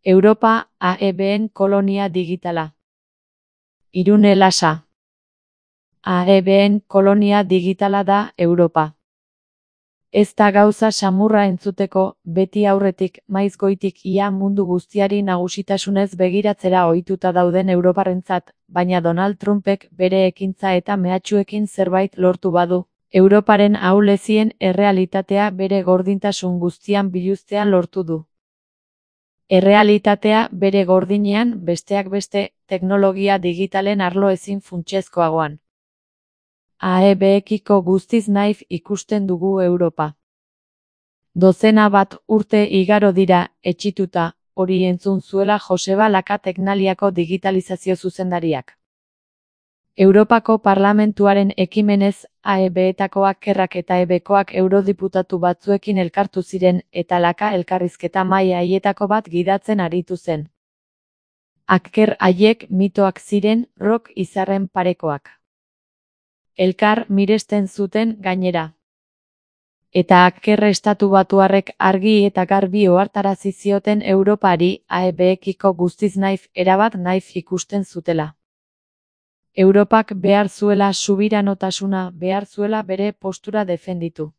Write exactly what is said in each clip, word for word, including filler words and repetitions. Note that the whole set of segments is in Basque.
Europa A E B:en kolonia digitala. Irune Lasa. A E B:en kolonia digitala da Europa. Ez da gauza samurra entzuteko, beti aurretik, maiz goitik ia mundu guztiari nagusitasunez begiratzera ohituta dauden europarrentzat, baina Donald Trumpek bere ekintza eta mehatxuekin zerbait lortu badu, Europaren ahulezien errealitatea bere gordintasun guztian biluztea lortu du. Errealitatea bere gordinean, besteak beste, teknologia digitalen arlo ezin funtsezkoagoan. A E Bekiko guztiz naif ikusten dugu Europa. Dozena bat urte igaro dira, etxituta, hori entzun zuela Joseba Laka Teknaliako digitalizazio zuzendariak. Europako Parlamentuaren ekimenez, A E Betakoak Ackerrak eta E Bkoak eurodiputatu batzuekin elkartu ziren, eta Laka elkarrizketa mahai haietako bat gidatzen aritu zen. Acker haiek mitoak ziren, rock izarren parekoak. Elkar miresten zuten gainera. Eta Acker estatu batuarrek argi eta garbi ohartarazi zioten Europari A E Bekiko guztiz naif erabat naif ikusten zutela. Europak behar zuela subiranotasuna, behar zuela bere postura defenditu.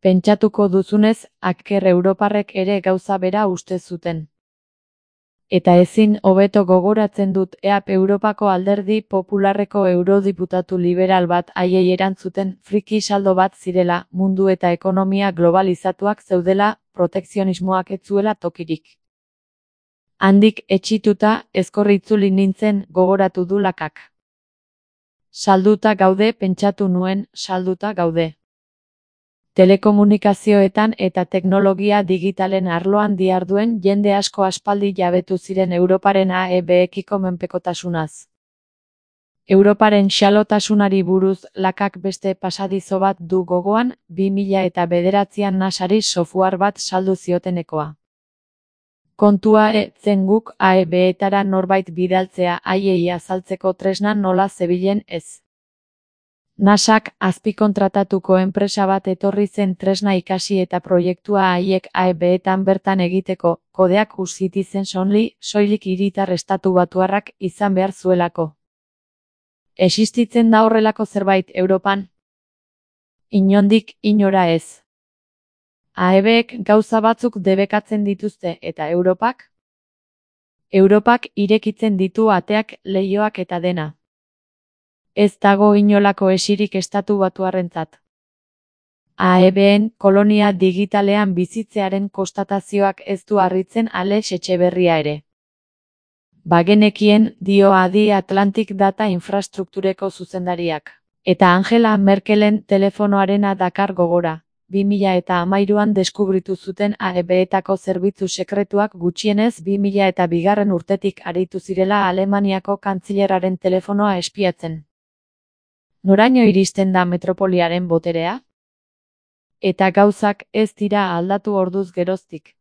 Pentsatuko duzunez, Acker europarrek ere gauza bera uste zuten. Eta ezin hobeto gogoratzen dut E A P Europako alderdi popularreko eurodiputatu liberal bat haiei erantzuten friki saldo bat zirela, mundu eta ekonomia globalizatuak zeudela, protekzionismoak ez zuela tokirik. Handik etxituta, ezkorritzuli nintzen, gogoratu du Lakak. Salduta gaude pentsatu nuen, salduta gaude. Telekomunikazioetan eta teknologia digitalen arloan diharduen jende asko aspaldi jabetu ziren Europaren A E Bekiko menpekotasunaz. Europaren xalotasunari buruz Lakak beste pasadizo bat du gogoan, bi mila eta bederatzian nasari software bat saldu ziotenekoa. Kontua e zen guk A E Betara norbait bidaltzea haiei azaltzeko tresna nola zebilen ez. Nasak azpikontratatuko enpresa bat etorri zen tresna ikasi eta proiektua haiek A E Betan bertan egiteko, kodeak Citizens only, soilik hiritar estatu batuarrak izan behar zuelako. Existitzen da horrelako zerbait Europan? Inondik inora ez. A E Bek gauza batzuk debekatzen dituzte eta Europak? Europak irekitzen ditu ateak, leihoak eta dena. Ez dago inolako esirik estatu batuarrentzat. A E B:en kolonia digitalean bizitzearen konstatazioak ez du harritzen Alex Etxeberria ere. Bagenekien, dio Adi Atlantic Data Infrastruktureko zuzendariak. Eta Angela Merkelen telefonoarena dakar gogora. bi mila eta hamairuan deskubritu zuten A E Betako zerbitzu sekretuak gutxienez bi mila eta bigarren urtetik aritu zirela Alemaniako kantzilerraren telefonoa espiatzen. Noraino iristen da metropoliaren boterea? Eta gauzak ez dira aldatu orduz geroztik.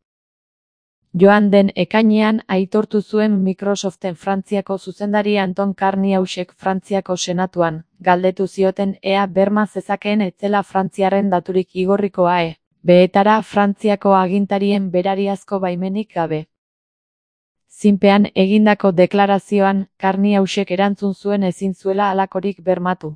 Joan den ekainean aitortu zuen Microsoften Frantziako zuzendari Anton Karniausek Frantziako senatuan, galdetu zioten ea berma zezakeen etzela Frantziaren daturik igorriko A E Betara Frantziako agintarien berariazko baimenik gabe. Zinpean egindako deklarazioan, Karniausek erantzun zuen ezin zuela halakorik bermatu.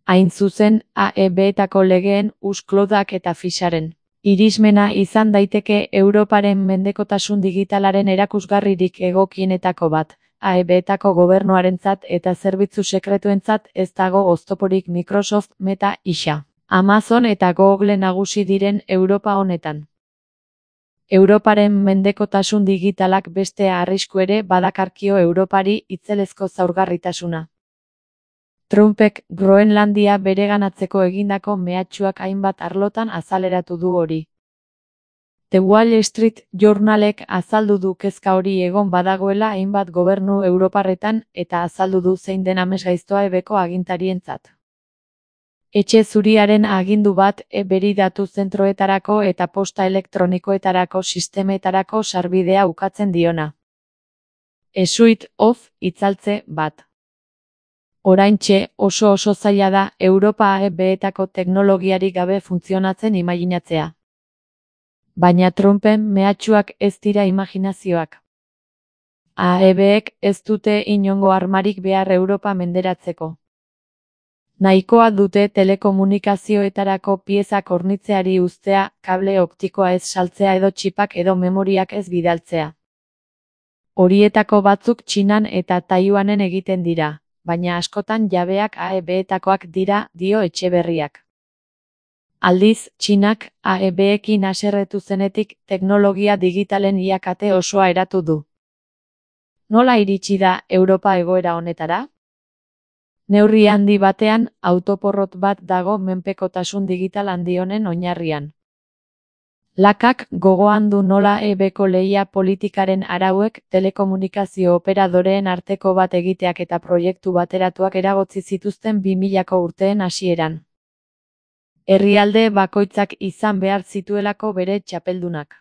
Hain zuzen, A E Betako legeen, usklodak eta fixaren irismena izan daiteke Europaren mendekotasun digitalaren erakusgarririk egokienetako bat, A E Betako gobernuarentzat eta zerbitzu sekretuentzat ez dago oztoporik Microsoft, Meta, isa, Amazon eta Google nagusi diren Europa honetan. Europaren mendekotasun digitalak beste arrisku ere badakarkio Europari itzelezko zaurgarritasuna. Trumpek Groenlandia bereganatzeko egindako mehatxuak hainbat arlotan azaleratu du hori. The Wall Street Journalek azaldu du kezka hori egon badagoela hainbat gobernu europarretan eta azaldu du zein den amesgaiztoa E Beko agintarientzat. Etxe zuriaren agindu bat E-beri datu zentroetarako eta posta elektronikoetarako sistemetarako sarbidea ukatzen diona. A suite of itzaltze bat. Oraintxe oso oso zaila da Europa A E Betako teknologiarik gabe funtzionatzen imaginatzea. Baina Trumpen mehatxuak ez dira imaginazioak. A E Bek ez dute inongo armarik behar Europa menderatzeko. Nahikoa dute telekomunikazioetarako piezak hornitzeari uztea, kable optikoa ez saltzea edo txipak edo memoriak ez bidaltzea. Horietako batzuk Txinan eta Taiwanen egiten dira, baina askotan jabeak A E Betakoak dira, dio Etxeberriak. Aldiz, Txinak A E Bekin haserretu zenetik teknologia digitalen iakate osoa eratu du. Nola iritsi da Europa egoera honetara? Neurri handi batean, autoporrot bat dago menpekotasun digital handi honen oinarrian. Lakak gogoan du nola E Beko lehia politikaren arauek telekomunikazio operadoreen arteko bat egiteak eta proiektu bateratuak eragotzi zituzten bi milako urteen hasieran. Herrialde bakoitzak izan behar zituelako bere txapeldunak.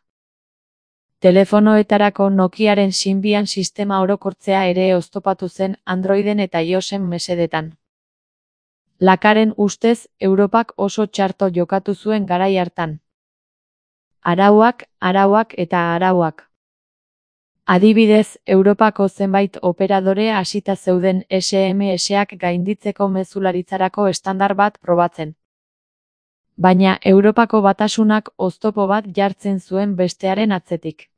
Telefonoetarako Nokiaren Symbian sistema orokortzea ere oztopatu zen Androiden eta iOSen mesedetan. Lakaren ustez, Europak oso txarto jokatu zuen garai hartan. Arauak, arauak eta arauak. Adibidez, Europako zenbait operadore hasita zeuden S M S-ak gainditzeko mezularitzarako estandar bat probatzen. Baina Europako batasunak oztopo bat jartzen zuen bestearen atzetik.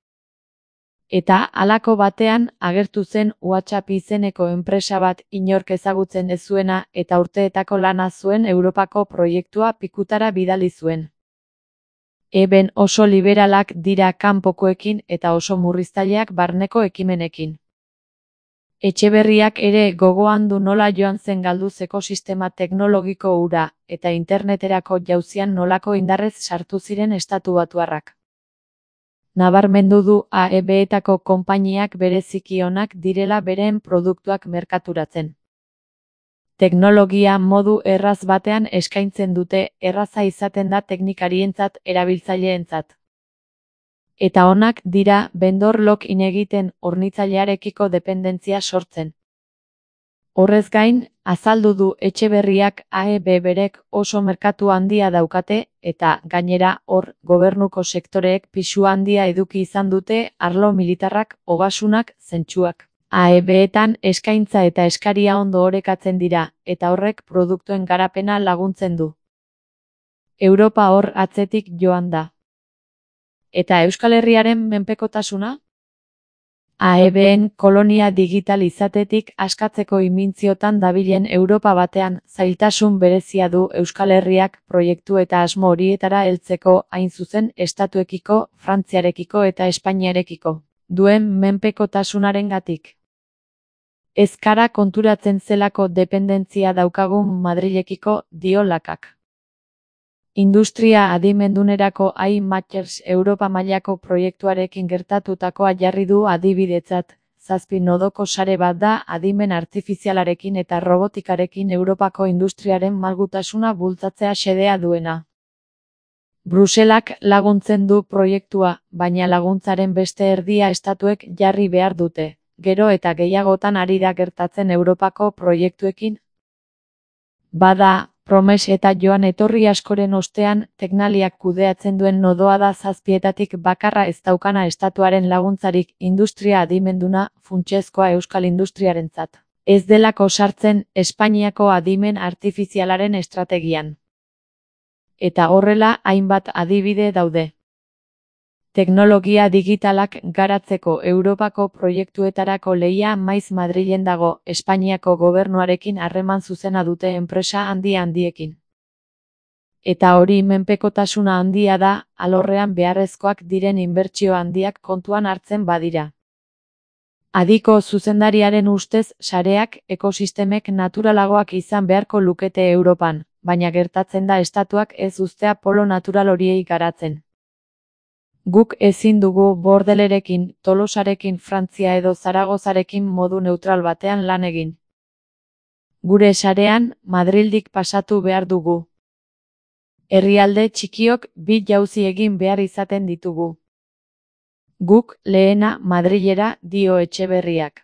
Eta halako batean agertu zen WhatsApp izeneko enpresa bat inork ezagutzen ez zuena eta urteetako lana zuen Europako proiektua pikutara bidali zuen. Eben oso liberalak dira kanpokoekin eta oso murriztaileak barneko ekimenekin. Etxeberriak ere gogoan du nola joan zen galduz ekosistema teknologiko hura eta interneterako jauzian nolako indarrez sartu ziren estatu batuarrak. Nabarmendu du A E Betako konpainiak bereziki onak direla beren produktuak merkaturatzen. Teknologia modu erraz batean eskaintzen dute, erraza izaten da teknikarientzat erabiltzaileentzat. Eta onak dira vendor lock-in egiten hornitzailearekiko dependentzia sortzen. Horrez gain, azaldu du Etxeberriak A E B berek oso merkatu handia daukate eta, gainera, hor, gobernuko sektoreek pisu handia eduki izan dute arlo militarrak, ogasunak, zentsuak. A E Betan eskaintza eta eskaria ondo orekatzen dira, eta horrek produktuen garapena laguntzen du. Europa hor atzetik joan da. Eta Euskal Herriaren menpekotasuna? A E Ben kolonia digital izatetik askatzeko imintziotan dabilen Europa batean zailtasun berezia du Euskal Herriak proiektu eta asmo horietara heltzeko hain zuzen estatuekiko, Frantziarekiko eta Espainiarekiko duen menpekotasunarengatik. Ez gara konturatzen zelako dependentzia daukagun Madrilekiko, dio Lakak. Industria adimendunerako I Matters Europa mailako proiektuarekin gertatutakoa jarri du adibidetzat, zazpi nodoko sare bat da adimen artifizialarekin eta robotikarekin Europako industriaren malgutasuna bultzatzea xedea duena. Bruselak laguntzen du proiektua, baina laguntzaren beste erdia estatuek jarri behar dute, gero eta gehiagotan ari da gertatzen Europako proiektuekin. Bada, Promes eta joan etorri askoren ostean, teknaliak kudeatzen duen nodoa da zazpietatik bakarra ez daukana estatuaren laguntzarik industria adimenduna funtsezkoa euskal industriarentzat. Ez delako sartzen Espainiako adimen artifizialaren estrategian. Eta horrela hainbat adibide daude. Teknologia digitalak garatzeko Europako proiektuetarako lehia maiz Madrilen dago, Espainiako gobernuarekin harreman zuzena dute enpresa handi handiekin. Eta hori menpekotasuna handia da, alorrean beharrezkoak diren inbertsio handiak kontuan hartzen badira. Adiko zuzendariaren ustez, sareak, ekosistemek naturalagoak izan beharko lukete Europan, baina gertatzen da estatuak ez uztea polo natural horiei garatzen. Guk ezin dugu Bordelerekin, Tolosarekin, Frantzia edo Zaragozarekin modu neutral batean lan egin. Gure sarean, Madrildik pasatu behar dugu. Herrialde txikiok bi jauzi egin behar izaten ditugu. Guk lehena Madrilera, dio Etxeberriak.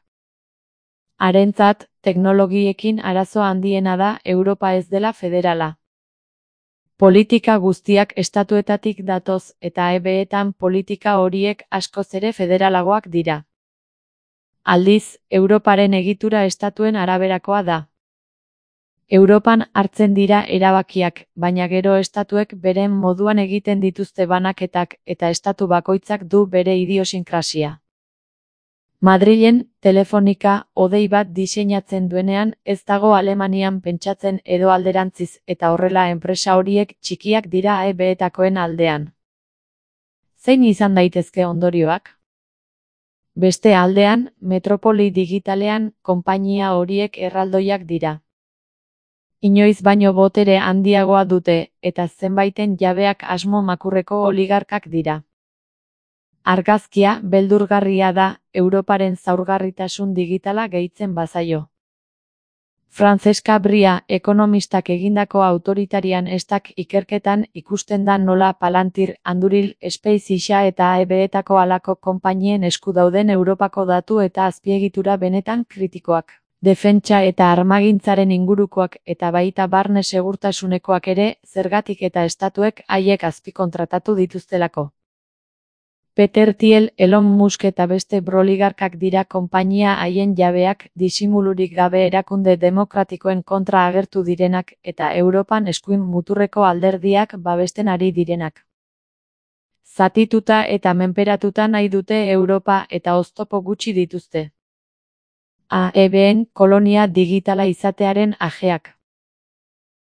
Harentzat, teknologiekin arazo handiena da Europa ez dela federala. Politika guztiak estatuetatik datoz eta E B-etan politika horiek askoz ere federalagoak dira. Aldiz, Europaren egitura estatuen araberakoa da. Europan hartzen dira erabakiak, baina gero estatuek beren moduan egiten dituzte banaketak eta estatu bakoitzak du bere idiosinkrasia. Madrilen, Telefonika, hodei bat diseinatzen duenean ez dago Alemanian pentsatzen edo alderantziz eta horrela enpresa horiek txikiak dira E B-etakoen aldean. Zein izan daitezke ondorioak? Beste aldean, metropoli digitalean, konpainia horiek erraldoiak dira. Inoiz baino botere handiagoa dute, eta zenbaiten jabeak asmo makurreko oligarkak dira. Argazkia beldurgarria da, Europaren zaurgarritasun digitala gehitzen bazaio. Francesca Bria, ekonomistak egindako autoritarian estak ikerketan ikusten da nola Palantir, Anduril, SpaceX eta E B-etako halako konpainien esku dauden Europako datu eta azpiegitura benetan kritikoak. Defentsa eta armagintzaren ingurukoak eta baita barne segurtasunekoak ere, zergatik eta estatuek haiek azpikontratatu dituztelako. Peter Thiel, Elon Musk eta beste broligarkak dira konpainia haien jabeak, disimulurik gabe erakunde demokratikoen kontra agertu direnak eta Europan eskuin muturreko alderdiak babesten ari direnak. Zatituta eta menperatuta nahi dute Europa eta oztopo gutxi dituzte. A E B-en kolonia digitala izatearen ajeak.